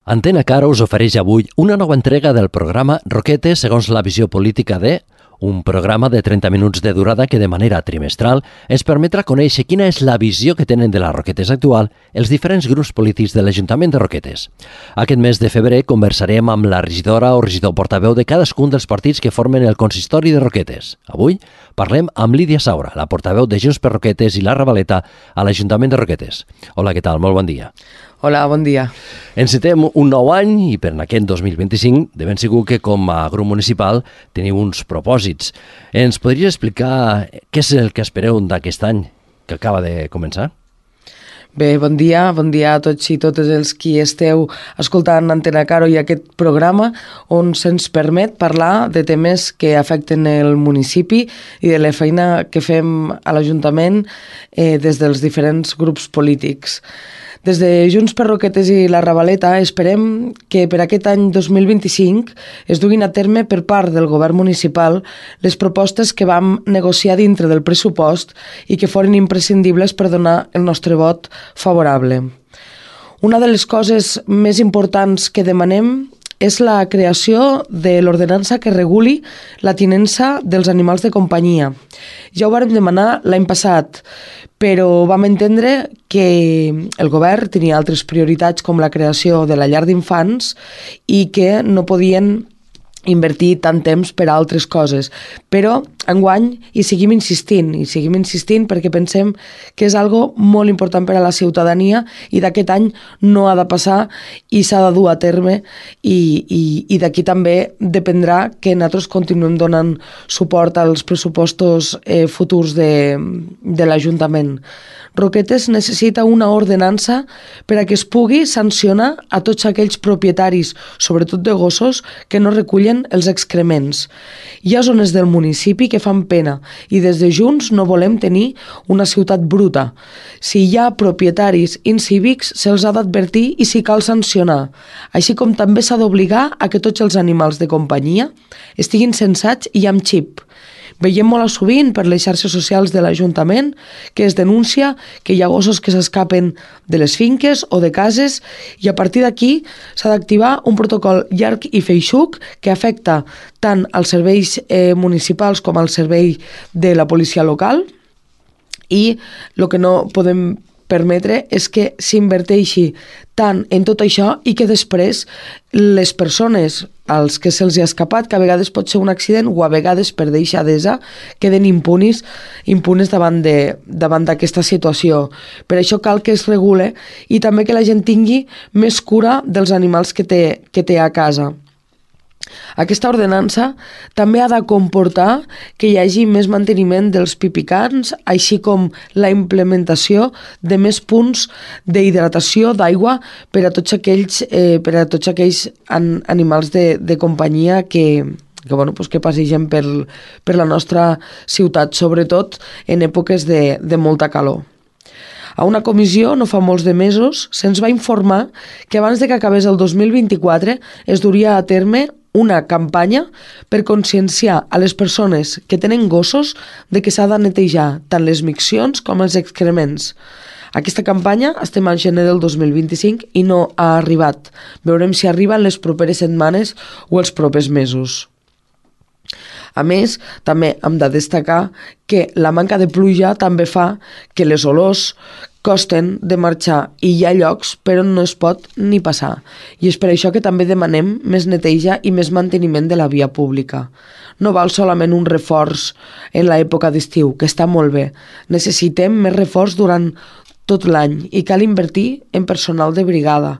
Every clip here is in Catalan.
Antena Cara us ofereix avui una nova entrega del programa Roquetes segons la visió política de... Un programa de 30 minuts de durada que de manera trimestral ens permetrà conèixer quina és la visió que tenen de la Roquetes actual els diferents grups polítics de l'Ajuntament de Roquetes. Aquest mes de febrer conversarem amb la regidora o regidor portaveu de cadascun dels partits que formen el consistori de Roquetes. Avui parlem amb Lídia Saura, la portaveu de Junts per Roquetes i la Ravaleta a l'Ajuntament de Roquetes. Hola, què tal? Molt bon dia. Hola, bon dia. Encetem un nou any i per aquest 2025 de ben segur que com a grup municipal teniu uns propòsits. Ens podries explicar què és el que espereu d'aquest any que acaba de començar? Bé, bon dia a tots i totes els qui esteu escoltant Antena Caro i aquest programa on se'ns permet parlar de temes que afecten el municipi i de la feina que fem a l'Ajuntament des dels diferents grups polítics. Des de Junts per Roquetes i la Ravaleta esperem que per aquest any 2025 es duguin a terme per part del govern municipal les propostes que vam negociar dintre del pressupost i que foren imprescindibles per donar el nostre vot favorable. Una de les coses més importants que demanem és la creació de l'ordenança que reguli la tinença dels animals de companyia. Ja ho vàrem demanar l'any passat, però vam entendre que el govern tenia altres prioritats com la creació de la llar d'infants i que no podien invertir tant temps per a altres coses. Però enguany hi seguim insistint perquè pensem que és algo molt important per a la ciutadania i d'aquest any no ha de passar i s'ha de dur a terme i d'aquí també dependrà que nosaltres continuem donant suport als pressupostos futurs de l'Ajuntament. Roquetes necessita una ordenança per a que es pugui sancionar a tots aquells propietaris, sobretot de gossos, que no recullen els excrements. Hi ha zones del municipi que fan pena i des de Junts no volem tenir una ciutat bruta. Si hi ha propietaris incívics, se'ls ha d'advertir i si cal sancionar, així com també s'ha d'obligar a que tots els animals de companyia estiguin censats i amb xip. Veiem molt sovint per les xarxes socials de l'Ajuntament que es denuncia que hi ha gossos que s'escapen de les finques o de cases i a partir d'aquí s'ha d'activar un protocol llarg i feixuc que afecta tant als serveis municipals com al servei de la policia local i el que no podem permetre és que s'inverteixi tant en tot això i que després les persones als que se'ls ha escapat, que a vegades pot ser un accident o a vegades per deixadesa, queden impunes davant d'aquesta situació. Per això cal que es regule i també que la gent tingui més cura dels animals que té a casa. Aquesta ordenança també ha de comportar que hi hagi més manteniment dels pipicans, així com la implementació de més punts d'hidratació d'aigua per a tots aquells animals de companyia que passegen per la nostra ciutat, sobretot en èpoques de molta calor. A una comissió, no fa molts de mesos, se'ns va informar que abans de que acabés el 2024 es duria a terme una campanya per conscienciar a les persones que tenen gossos de que s'ha de netejar tant les miccions com els excrements. Aquesta campanya estem al gener del 2025 i no ha arribat. Veurem si arriba en les properes setmanes o els propers mesos. A més, també hem de destacar que la manca de pluja també fa que les olors costen de marxar i hi ha llocs per on no es pot ni passar. I és per això que també demanem més neteja i més manteniment de la via pública. No val solament un reforç en l'època d'estiu, que està molt bé. Necessitem més reforç durant tot l'any i cal invertir en personal de brigada.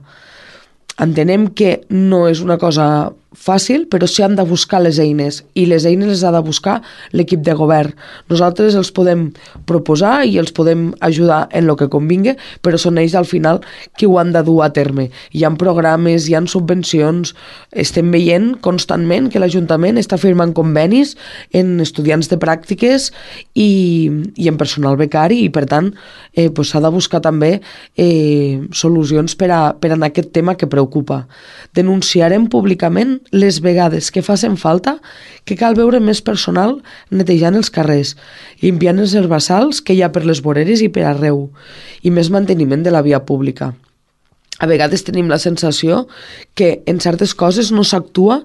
Entenem que no és una cosa fàcil, però sí han de buscar les eines i les eines les ha de buscar l'equip de govern. Nosaltres els podem proposar i els podem ajudar en el que convingui, però són ells al final qui ho han de dur a terme. Hi ha programes, hi ha subvencions, estem veient constantment que l'Ajuntament està firmant convenis en estudiants de pràctiques i en personal becari i per tant s'ha de buscar també solucions per a aquest tema que preocupa. Denunciarem públicament les vegades que facin falta que cal veure més personal netejant els carrers, limpiant els herbassals que hi ha per les voreres i per arreu, i més manteniment de la via pública. A vegades tenim la sensació que en certes coses no s'actua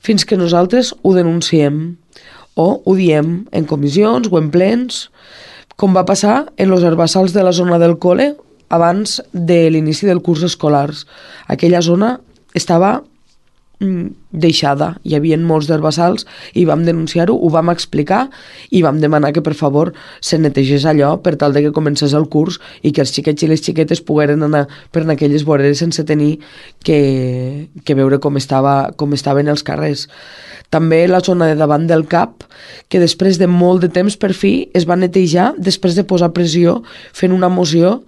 fins que nosaltres ho denunciem o ho diem en comissions o en plens, com va passar en els herbassals de la zona del col·le abans de l'inici del curs escolar. Aquella zona estava deixada, hi havia molts herbassals i vam denunciar-ho, ho vam explicar i vam demanar que per favor se netegés allò per tal de que comencés el curs i que els xiquets i les xiquetes pogueren anar per aquelles voreres sense tenir que veure com estaven els carrers. També la zona de davant del CAP, que després de molt de temps per fi es va netejar després de posar pressió fent una moció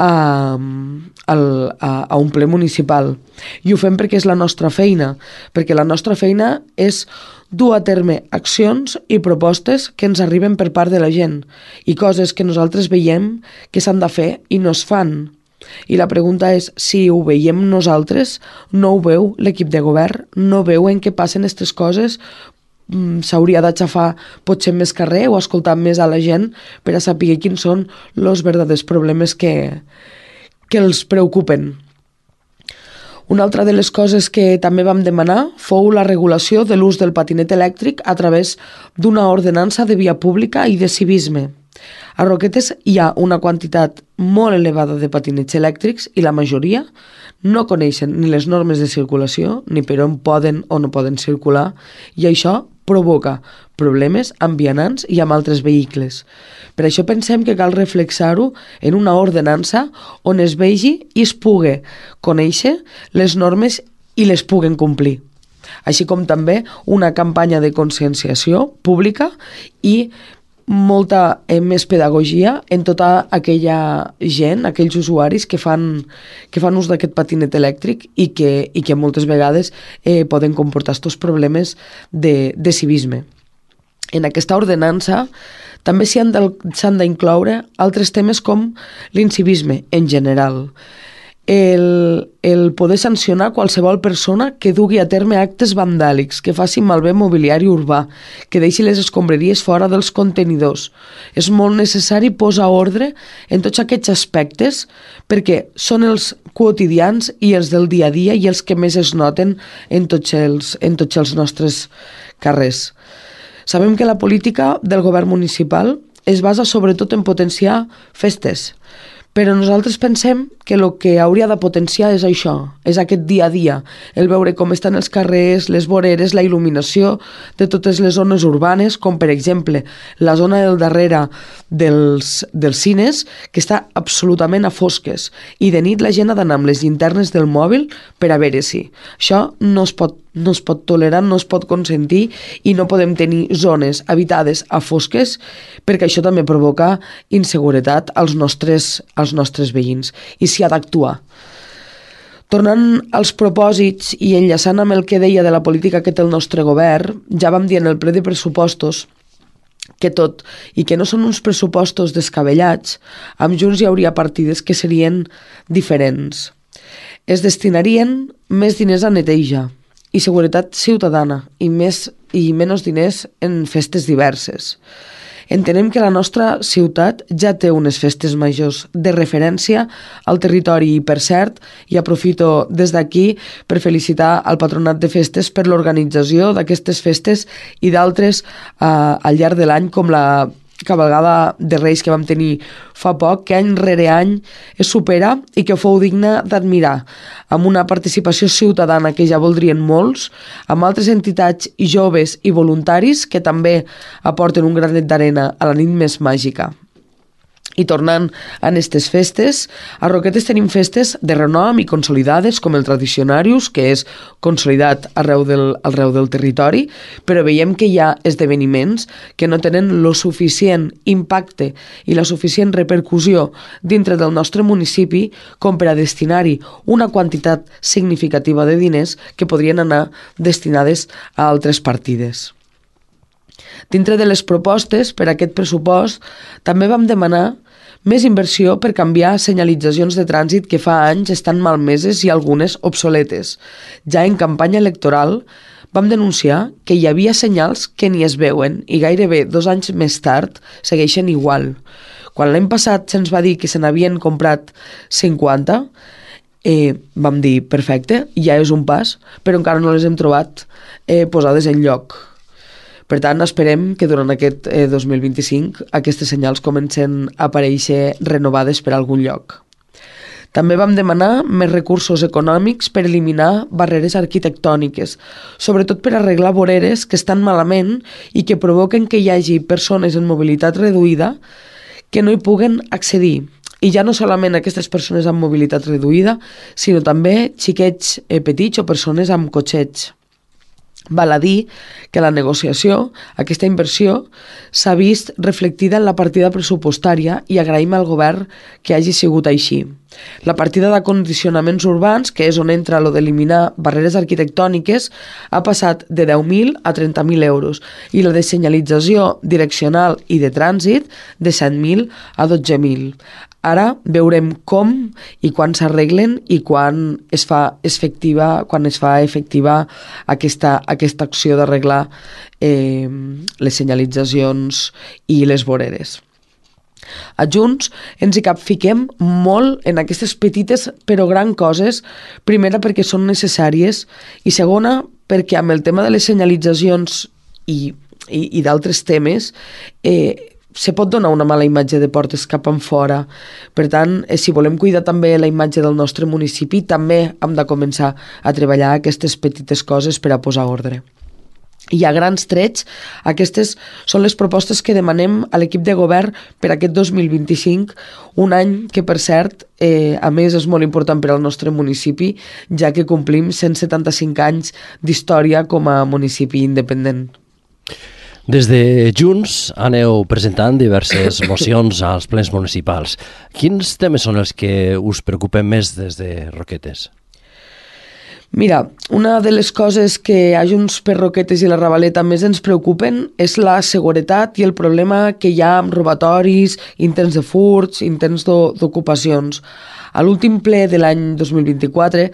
a un ple municipal. I ho fem perquè és la nostra feina, perquè la nostra feina és dur a terme accions i propostes que ens arriben per part de la gent i coses que nosaltres veiem que s'han de fer i no es fan. I la pregunta és, si ho veiem nosaltres, no ho veu l'equip de govern? No veuen que passen aquestes coses? S'hauria d'aixafar potser més carrer o escoltar més a la gent per a saber quins són els verdaders problemes que els preocupen. Una altra de les coses que també vam demanar fou la regulació de l'ús del patinet elèctric a través d'una ordenança de via pública i de civisme. A Roquetes hi ha una quantitat molt elevada de patinets elèctrics i la majoria no coneixen ni les normes de circulació ni per on poden o no poden circular i això provoca problemes amb vianants i amb altres vehicles. Per això pensem que cal reflexar-ho en una ordenança on es vegi i es pugui conèixer les normes i les puguen complir. Així com també una campanya de conscienciació pública i molta més pedagogia en tota aquella gent, aquells usuaris que fan ús d'aquest patinet elèctric i que moltes vegades poden comportar estos problemes de civisme. En aquesta ordenança també s'han d'incloure altres temes com l'incivisme en general, el poder sancionar qualsevol persona que dugui a terme actes vandàlics, que faci malbé mobiliari urbà, que deixi les escombraries fora dels contenidors. És molt necessari posar ordre en tots aquests aspectes perquè són els quotidians i els del dia a dia i els que més es noten en tots els nostres carrers. Sabem que la política del govern municipal es basa sobretot en potenciar festes, però nosaltres pensem que el que hauria de potenciar és això, és aquest dia a dia, el veure com estan els carrers, les voreres, la il·luminació de totes les zones urbanes, com per exemple la zona del darrere dels cines, que està absolutament a fosques, i de nit la gent ha d'anar amb les llinternes del mòbil per a veure si. Això no es pot tolerar, no es pot consentir i no podem tenir zones habitades a fosques perquè això també provoca inseguretat als nostres veïns i s'hi ha d'actuar. Tornant als propòsits i enllaçant amb el que deia de la política que té el nostre govern, ja vam dir en el ple de pressupostos que tot i que no són uns pressupostos descabellats, amb Junts hi hauria partides que serien diferents. Es destinarien més diners a neteja i seguretat ciutadana i menys diners en festes diverses. Entenem que la nostra ciutat ja té unes festes majors de referència al territori i, per cert, i aprofito des d'aquí per felicitar al Patronat de Festes per l'organització d'aquestes festes i d'altres al llarg de l'any, com la cabalgada de Reis que vam tenir fa poc, que any rere any es supera i que fou digna d'admirar, amb una participació ciutadana que ja voldrien molts, amb altres entitats i joves i voluntaris que també aporten un granet d'arena a la nit més màgica. I tornant a aquestes festes, a Roquetes tenim festes de renom i consolidades com el Tradicionarius, que és consolidat arreu del territori, però veiem que hi ha esdeveniments que no tenen lo suficient impacte i la suficient repercussió dintre del nostre municipi com per a destinar-hi una quantitat significativa de diners que podrien anar destinades a altres partides. Dintre de les propostes per a aquest pressupost també vam demanar més inversió per canviar senyalitzacions de trànsit que fa anys estan malmeses i algunes obsoletes. Ja en campanya electoral vam denunciar que hi havia senyals que ni es veuen i gairebé 2 anys més tard segueixen igual. Quan l'any passat se'ns va dir que se n'havien comprat 50, vam dir, perfecte, ja és un pas, però encara no les hem trobat posades en lloc. Per tant, esperem que durant aquest 2025 aquestes senyals comencen a aparèixer renovades per algun lloc. També vam demanar més recursos econòmics per eliminar barreres arquitectòniques, sobretot per arreglar voreres que estan malament i que provoquen que hi hagi persones en mobilitat reduïda que no hi puguen accedir. I ja no solament aquestes persones amb mobilitat reduïda, sinó també xiquets petits o persones amb cotxets. Val a dir que la negociació, aquesta inversió, s'ha vist reflectida en la partida pressupostària i agraïm al govern que hagi sigut així. La partida d'acondicionaments urbans, que és on entra lo d'eliminar barreres arquitectòniques, ha passat de 10.000 a 30.000 euros i la de senyalització direccional i de trànsit de 7.000 a 12.000. Ara veurem com i quan s'arreglen i quan es fa efectiva aquesta acció d'arreglar les senyalitzacions i les voreres. A Junts ens hi capfiquem molt en aquestes petites però gran coses, primera perquè són necessàries i segona perquè amb el tema de les senyalitzacions i d'altres temes se pot donar una mala imatge de portes cap enfora. Per tant, si volem cuidar també la imatge del nostre municipi, també hem de començar a treballar aquestes petites coses per a posar ordre. I a grans trets, aquestes són les propostes que demanem a l'equip de govern per aquest 2025, un any que, per cert, a més és molt important per al nostre municipi, ja que complim 175 anys d'història com a municipi independent. Des de Junts aneu presentant diverses mocions als plens municipals. Quins temes són els que us preocupen més des de Roquetes? Mira, una de les coses que a Junts per Roquetes i la Ravaleta més ens preocupen és la seguretat i el problema que hi ha amb robatoris, intents de furts, intents d'ocupacions. A l'últim ple de l'any 2024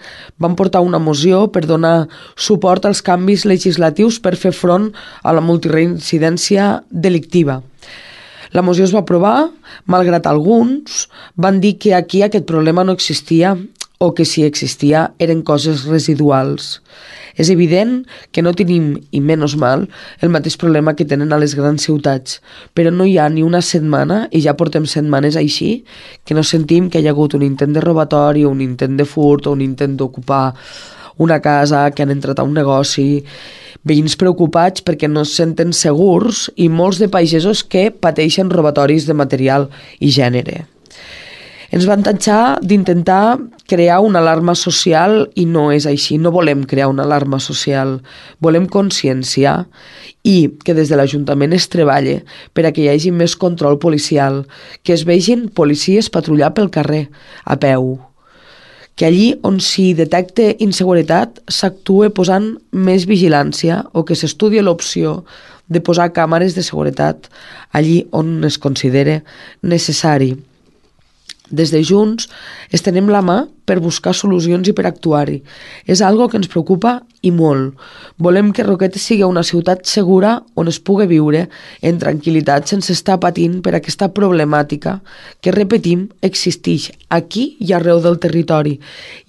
vam portar una moció per donar suport als canvis legislatius per fer front a la multireincidència delictiva. La moció es va aprovar, malgrat alguns van dir que aquí aquest problema no existia o que si existia eren coses residuals. És evident que no tenim, i menys mal, el mateix problema que tenen a les grans ciutats, però no hi ha ni una setmana, i ja portem setmanes així, que no sentim que hi ha hagut un intent de robatori, un intent de furt o un intent d'ocupar una casa, que han entrat a un negoci, veïns preocupats perquè no es senten segurs i molts de pagesos que pateixen robatoris de material i gènere. Ens van tatxar d'intentar crear una alarma social i no és així, no volem crear una alarma social, volem conscienciar i que des de l'Ajuntament es treballe per a que hi hagi més control policial, que es vegin policies patrullar pel carrer, a peu, que allí on s'hi detecta inseguretat s'actue posant més vigilància o que s'estudi l'opció de posar càmeres de seguretat allí on es considere necessari. Des de Junts estenem la mà per buscar solucions i per actuar-hi. És algo que ens preocupa i molt. Volem que Roquetes sigui una ciutat segura on es pugui viure en tranquil·litat sense estar patint per aquesta problemàtica que, repetim, existeix aquí i arreu del territori.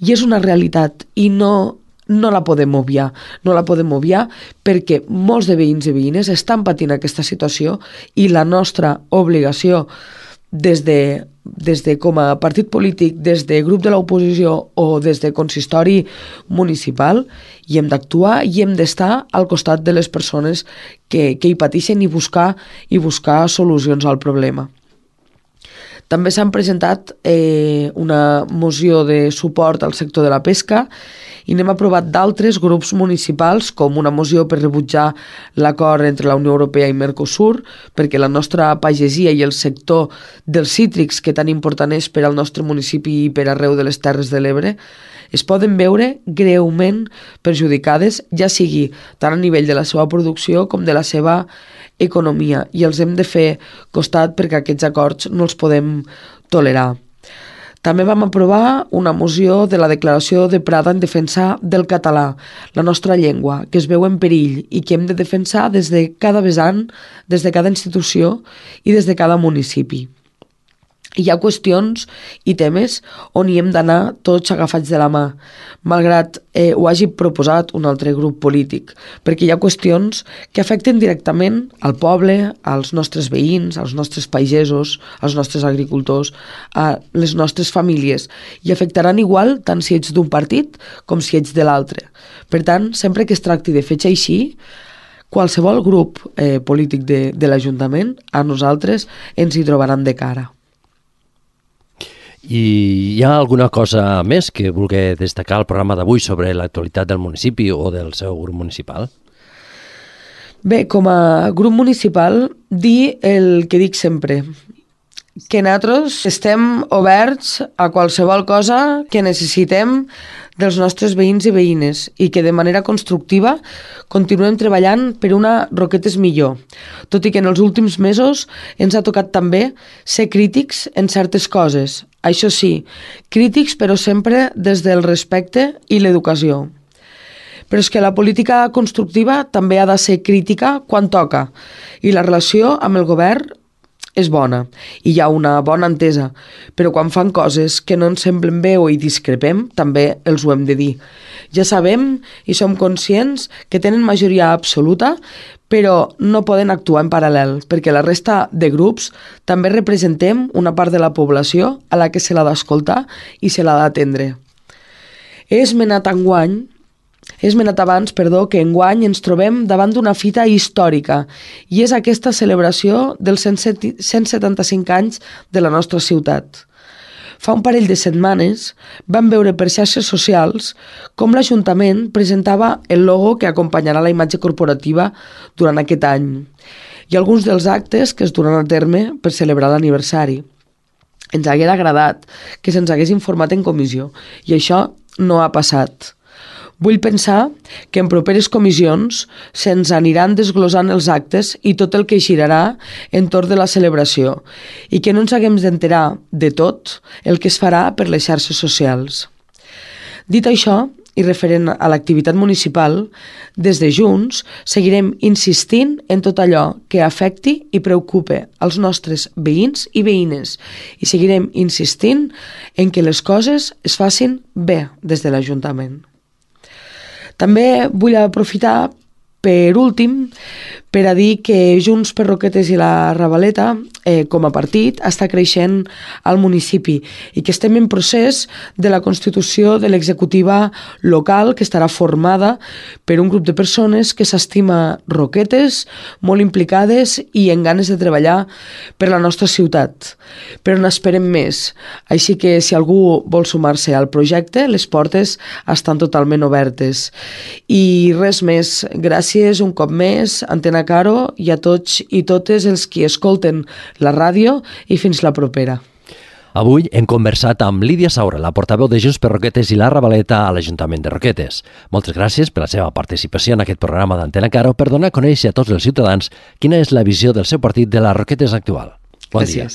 I és una realitat i no la podem obviar. No la podem obviar perquè molts de veïns i veïnes estan patint aquesta situació i la nostra obligació des de com a partit polític, des de grup de l'oposició o des de consistori municipal, i hem d'actuar i hem d'estar al costat de les persones que hi pateixen i buscar solucions al problema. També s'han presentat una moció de suport al sector de la pesca i n'hem aprovat d'altres grups municipals, com una moció per rebutjar l'acord entre la Unió Europea i Mercosur, perquè la nostra pagesia i el sector dels cítrics, que tan important és per al nostre municipi i per arreu de les Terres de l'Ebre, es poden veure greument perjudicades, ja sigui tant a nivell de la seva producció com de la seva economia, i els hem de fer costat perquè aquests acords no els podem tolerar. També vam aprovar una moció de la declaració de Prada en defensa del català, la nostra llengua, que es veu en perill i que hem de defensar des de cada vessant, des de cada institució i des de cada municipi. hi ha qüestions i temes on hi hem d'anar tots agafats de la mà, malgrat ho hagi proposat un altre grup polític, perquè hi ha qüestions que afecten directament al poble, als nostres veïns, als nostres pagesos, als nostres agricultors, a les nostres famílies, i afectaran igual tant si ets d'un partit com si ets de l'altre. Per tant, sempre que es tracti de fetge així, qualsevol grup polític de l'Ajuntament, a nosaltres ens hi trobaran de cara. I hi ha alguna cosa més que vulgui destacar al programa d'avui sobre l'actualitat del municipi o del seu grup municipal? Bé, com a grup municipal, dir el que dic sempre, que nosaltres estem oberts a qualsevol cosa que necessitem dels nostres veïns i veïnes i que de manera constructiva continuem treballant per una Roquetes millor, tot i que en els últims mesos ens ha tocat també ser crítics en certes coses. Això sí, crítics però sempre des del respecte i l'educació. Però és que la política constructiva també ha de ser crítica quan toca i la relació amb el govern és bona i hi ha una bona entesa, però quan fan coses que no ens semblen bé o hi discrepem, també els ho hem de dir. Ja sabem i som conscients que tenen majoria absoluta, però no poden actuar en paral·lel, perquè la resta de grups també representem una part de la població a la que se l'ha d'escoltar i se l'ha d'atendre. He esmenat abans que enguany ens trobem davant d'una fita històrica i és aquesta celebració dels 175 anys de la nostra ciutat. Fa un parell de setmanes vam veure per xarxes socials com l'Ajuntament presentava el logo que acompanyarà la imatge corporativa durant aquest any i alguns dels actes que es duran a terme per celebrar l'aniversari. Ens hagués agradat que se'ns hagués informat en comissió i això no ha passat. Vull pensar que en properes comissions se'ns aniran desglosant els actes i tot el que girarà entorn de la celebració i que no ens haguem d'enterar de tot el que es farà per les xarxes socials. Dit això, i referent a l'activitat municipal, des de Junts seguirem insistint en tot allò que afecti i preocupe als nostres veïns i veïnes i seguirem insistint en que les coses es facin bé des de l'Ajuntament. També vull aprofitar, per últim, per a dir que Junts per Roquetes i la Ravaleta, com a partit, està creixent al municipi i que estem en procés de la constitució de l'executiva local que estarà formada per un grup de persones que s'estima Roquetes, molt implicades i en ganes de treballar per la nostra ciutat. Però n'esperem més, així que si algú vol sumar-se al projecte, les portes estan totalment obertes. I res més, gràcies un cop més, Antena Caro, i a tots i totes els qui escolten la ràdio i fins la propera. Avui hem conversat amb Lídia Saura, la portaveu de Junts per Roquetes i la Ravaleta a l'Ajuntament de Roquetes. Moltes gràcies per la seva participació en aquest programa d'Antena Caro per donar a conèixer a tots els ciutadans quina és la visió del seu partit de les Roquetes actual. Bon dia.